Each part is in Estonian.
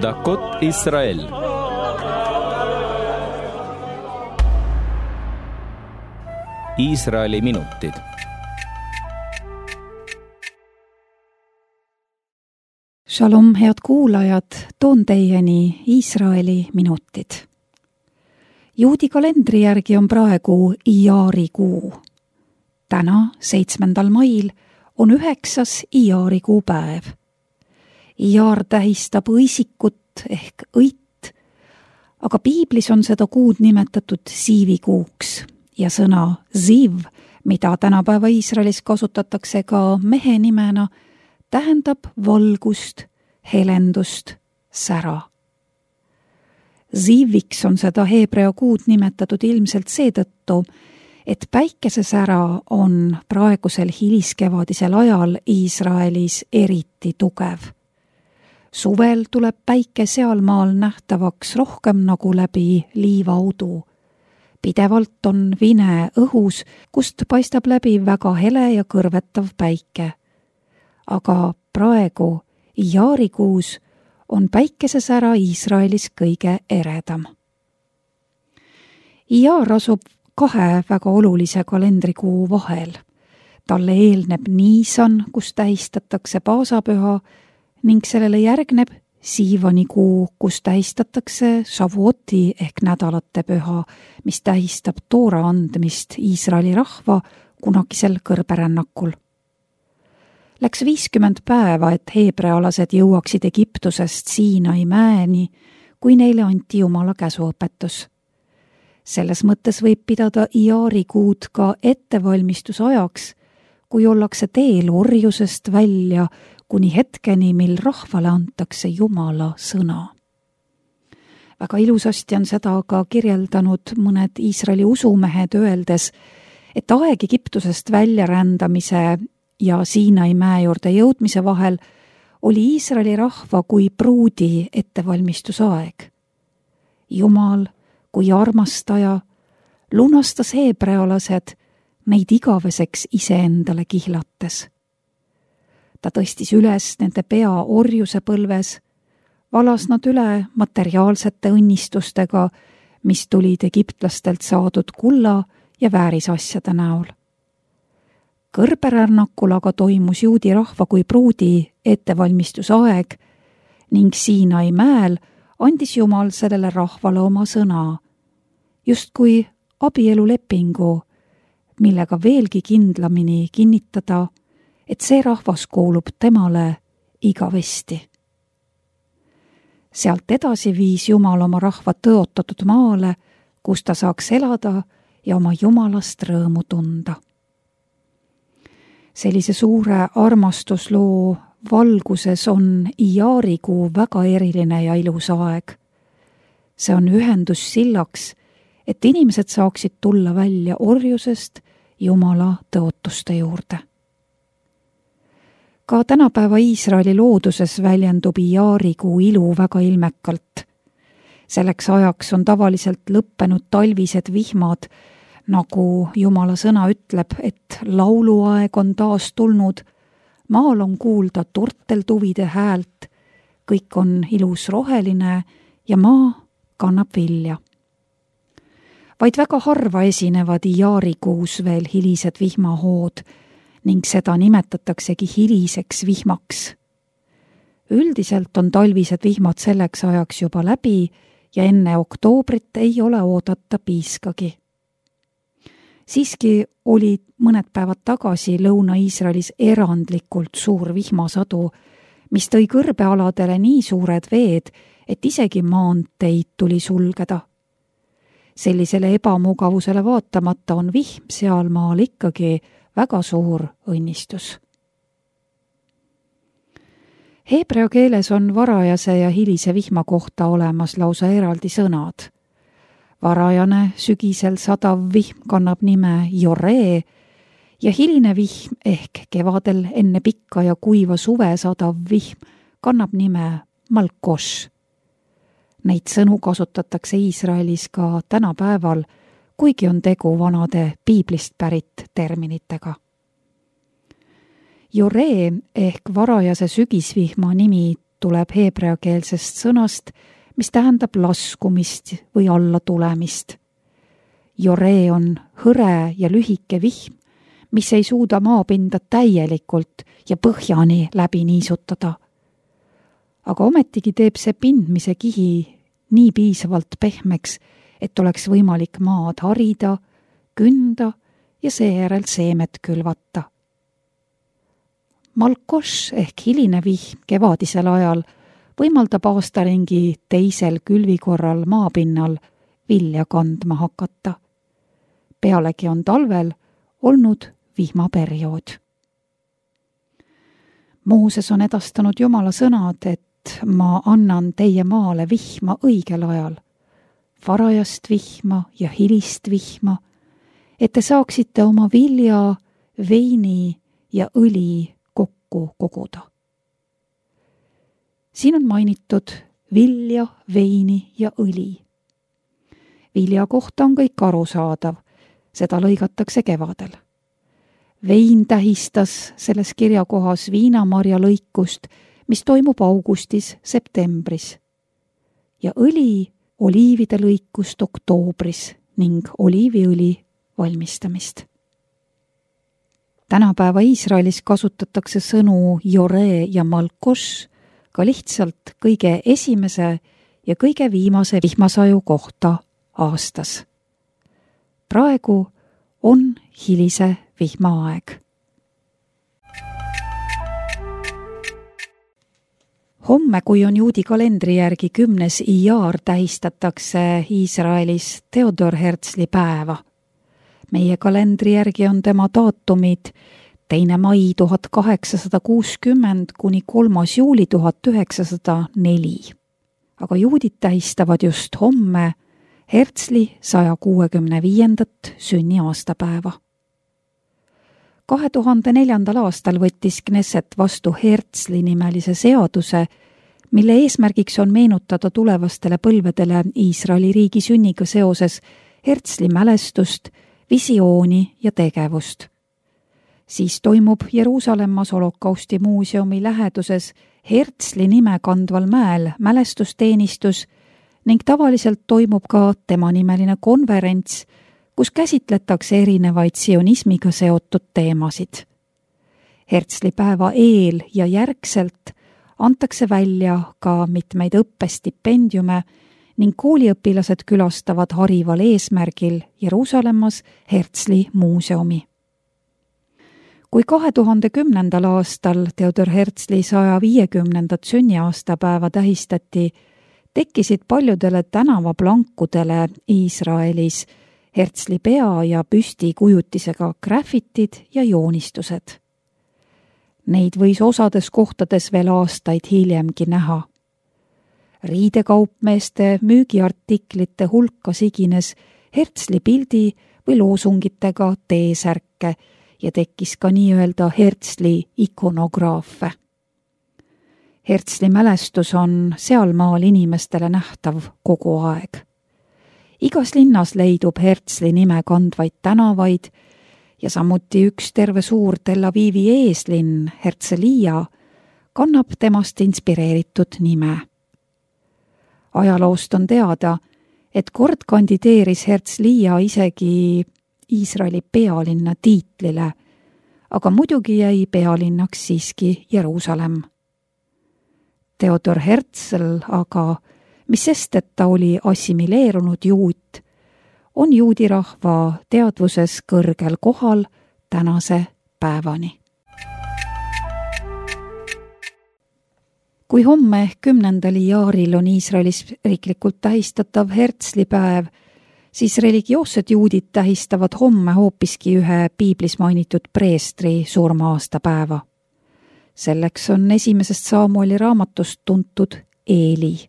דקות ישראל. Iisraeli minutid. Shalom, head kuulajad, toon teieni Iisraeli minutid. Juudi kalendri järgi on praegu Iari kuu. Täna, 7. mail, on 9. Iari kuu päev. Iar tähistab õisikut ehk õit, aga piiblis on seda kuud nimetatud siivikuuks ja sõna ziv, mida tänapäeva Iisraelis kasutatakse ka mehe nimena, tähendab valgust, helendust, sära. Ziviks on seda heebrea kuud nimetatud ilmselt seetõttu, et päikesesära on praegusel hiliskevadisel ajal Iisraelis eriti tugev. Suvel tuleb päike sealmaal nähtavaks rohkem nagu läbi liivaudu. Pidevalt on vine õhus, kust paistab läbi väga hele ja kõrvetav päike. Aga praegu, Iarikuus, on päikesesära Iisraelis kõige eredam. Iar asub 2 väga olulise kalendrikuu vahel. Talle eelneb Niisan, kus tähistatakse paasapüha, ning sellele järgneb Siivani kuu, kus tähistatakse Shavuoti ehk nädalate püha, mis tähistab toora andmist Iisraeli rahva kunagisel kõrberännakul. Läks 50 päeva, et heebrealased jõuaksid Egiptusest Siinai mäeni, kui neile anti Jumala käsuõpetus. Selles mõttes võib pidada Iari kuud ka ettevalmistusajaks, kui ollakse teel orjusest välja kuni hetkeni, mil rahvale antakse Jumala sõna. Väga ilusasti on seda aga kirjeldanud mõned Iisraeli usumehed öeldes, et aeg Egiptusest väljarändamise ja Siinai mäe juurde jõudmise vahel oli Iisraeli rahva kui pruudi ettevalmistusaeg. Jumal kui armastaja lunastas heebrealased neid igaveseks iseendale kihlates. Ta tõstis üles nende pea orjuse põlves, valas nad üle materiaalsete õnnistustega, mis tulid egiptlastelt saadud kulla ja väärisasjade näol. Kõrberännakul aga toimus juudi rahva kui pruudi ettevalmistusaeg ning Siinai mäel andis Jumal sellele rahvale oma sõna, justkui abielulepingu, millega veelgi kindlamini kinnitada, et see rahvas kuulub temale igavesti. Sealt edasi viis Jumal oma rahva tõotatud maale, kus ta saaks elada ja oma Jumalast rõõmu tunda. Sellise suure armastusloo valguses on Iarikuu väga eriline ja ilus aeg. See on ühendus sillaks, et inimesed saaksid tulla välja orjusest Jumala tõotuste juurde. Ka tänapäeva Iisraeli looduses väljendub Iarikuu ilu väga ilmekalt. Selleks ajaks on tavaliselt lõppenud talvised vihmad, nagu Jumala sõna ütleb, et lauluaeg on taas tulnud, maal on kuulda turteltuvide häält, kõik on ilus roheline ja maa kannab vilja. Vaid väga harva esinevad Iarikuus veel hilised vihmahood, ning seda nimetataksegi hiliseks vihmaks. Üldiselt on talvised vihmad selleks ajaks juba läbi ja enne oktoobrit ei ole oodata piiskagi. Siiski oli mõned päevad tagasi Lõuna-Iisraelis erandlikult suur vihmasadu, mis tõi kõrbealadele nii suured veed, et isegi maanteid tuli sulgeda. Sellisele ebamugavusele vaatamata on vihm sealmaal ikkagi väga suur õnnistus. Heebrea keeles on varajase ja hilise vihma kohta olemas lausa eraldi sõnad. Varajane sügisel sadav vihm kannab nime Joree ja hiline vihm ehk kevadel enne pikka ja kuiva suve sadav vihm kannab nime Malkosh. Neid sõnu kasutatakse Iisraelis ka tänapäeval, kuigi on tegu vanade piiblist pärit terminitega. Joree ehk varajase sügisvihma nimi tuleb heebreakeelsest sõnast, mis tähendab laskumist või alla tulemist. Joree on hõre ja lühike vihm, mis ei suuda maapinda täielikult ja põhjani läbi niisutada. Aga ometigi teeb see pindmise kihi nii piisavalt pehmeks, et oleks võimalik maad harida, künda ja seejärel seemet külvata. Malkoš ehk hiline vihm kevadisel ajal võimaldab aastaringi teisel külvikorral maapinnal vilja kandma hakata. Pealegi on talvel olnud vihmaperiood. Mooses on edastanud Jumala sõnad, et ma annan teie maale vihma õigel ajal, varajast vihma ja hilist vihma, et te saaksite oma vilja, veini ja õli kokku koguda. Siin on mainitud vilja, veini ja õli. Vilja kohta on kõik arusaadav, seda lõigatakse kevadel. Vein tähistas selles kirjakohas viinamarja lõikust, mis toimub augustis-septembris. Ja õli oliivide lõikust oktoobris ning oliiviõli valmistamist. Tänapäeva Iisraelis kasutatakse sõnu Joree ja Malkoš ka lihtsalt kõige esimese ja kõige viimase vihmasaju kohta aastas. Praegu on hilise vihmaaeg. Homme, kui on juudi kalendri järgi 10. Ijar, tähistatakse Iisraelis Theodor Herzli päeva. Meie kalendri järgi on tema daatumid 2. mai 1860 kuni 3. juuli 1904. Aga juudid tähistavad just homme Herzli 165. sünniaastapäeva. 2004. aastal võttis Knesset vastu Herzli nimelise seaduse, mille eesmärgiks on meenutada tulevastele põlvedele Iisraeli riigi sünniga seoses Herzli mälestust, visiooni ja tegevust. Siis toimub Jeruusalemmas Holokausti muuseumi läheduses Herzli nime kandval mäel mälestusteenistus ning tavaliselt toimub ka tema nimeline konverents, kus käsitletakse erinevaid sionismiga seotud teemasid. Herzli päeva eel ja järgselt antakse välja ka mitmeid õppestipendiume ning kooliõpilased külastavad harival eesmärgil Jeruusalemmas Herzli muuseumi. Kui 2010. aastal Theodor Herzli 150. sünniaastapäeva tähistati, tekkisid paljudele tänavaplankudele Iisraelis Herzli pea ja püsti kujutisega graffitid ja joonistused. Neid võis osades kohtades veel aastaid hiljemgi näha. Riidekaupmeeste müügiartiklite hulka sigines Herzli pildi või loosungitega T-särke ja tekkis ka nii-öelda Herzli ikonograafe. Herzli mälestus on sealmaal inimestele nähtav kogu aeg. Igas linnas leidub Herzli nime kandvaid tänavaid ja samuti üks terve suur Tel Avivi eeslinn, Herzliya, kannab temast inspireeritud nime. Ajaloost on teada, et kord kandideeris Herzliya isegi Iisraeli pealinna tiitlile, aga muidugi jäi pealinnaks siiski Jeruusalemm. Theodor Herzl aga, mis sest, et ta oli assimileerunud juut, on juudi rahva teadvuses kõrgel kohal tänase päevani. Kui homme 10. Ijaril on Iisraelis riiklikult tähistatav Herzli päev, siis religioossed juudid tähistavad homme hoopiski ühe piiblis mainitud preestri surma-aastapäeva. Selleks on 1. Saamueli raamatust tuntud Eeli.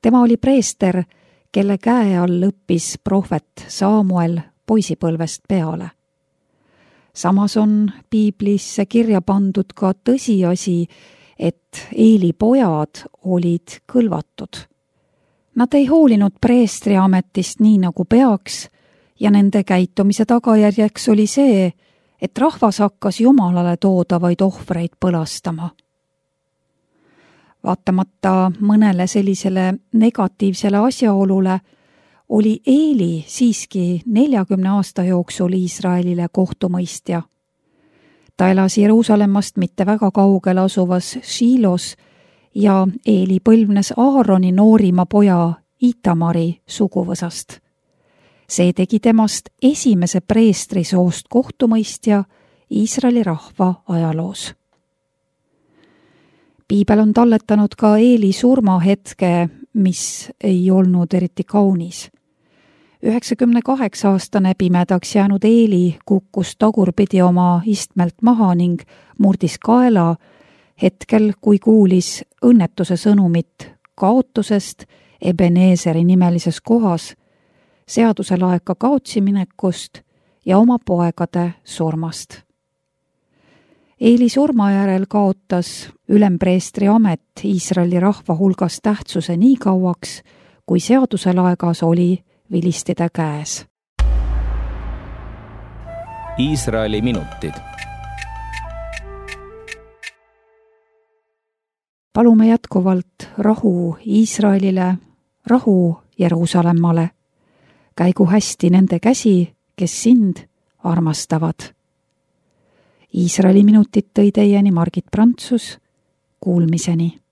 Tema oli preester, kelle käe all õppis prohvet Saamuel poisipõlvest peale. Samas on piiblisse kirja pandud ka tõsiasi, et Eeli pojad olid kõlvatud. Nad ei hoolinud preestri ametist nii nagu peaks ja nende käitumise tagajärjeks oli see, et rahvas hakkas Jumalale toodavaid ohvreid põlastama. Vaatamata mõnele sellisele negatiivsele asjaolule oli Eeli siiski 40 aasta jooksul Iisraelile kohtumõistja. Ta elas Jeruusalemmast mitte väga kaugel asuvas Shilos ja Eeli põlvnes Aaroni noorima poja Itamari suguvõsast. See tegi temast esimese preestrisoost kohtumõistja Iisraeli rahva ajaloos. Piibel on talletanud ka Eeli surmahetke, mis ei olnud eriti kaunis. 98-aastane pimedaks jäänud Eeli kukkus tagurpidi oma istmelt maha ning murdis kaela hetkel, kui kuulis õnnetuse sõnumit kaotusest Ebeneeseri nimelises kohas, seaduse laeka kaotsi minekust ja oma poegade surmast. Eeli surma järel kaotas ülempreestri amet Iisraeli rahva hulgas tähtsuse nii kauaks, kui seaduse laegas oli vilistide käes. Iisraeli minutid. Palume jätkuvalt rahu Iisraelile, rahu Jeruusalemmale. Käigu hästi nende käsi, kes sind armastavad. Iisraeli minutid tõi teieni Margit Prantsus. Kuulmiseni.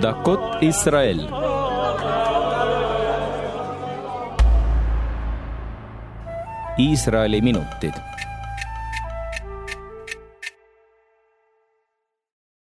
דקות ישראל. Iisraeli minutid.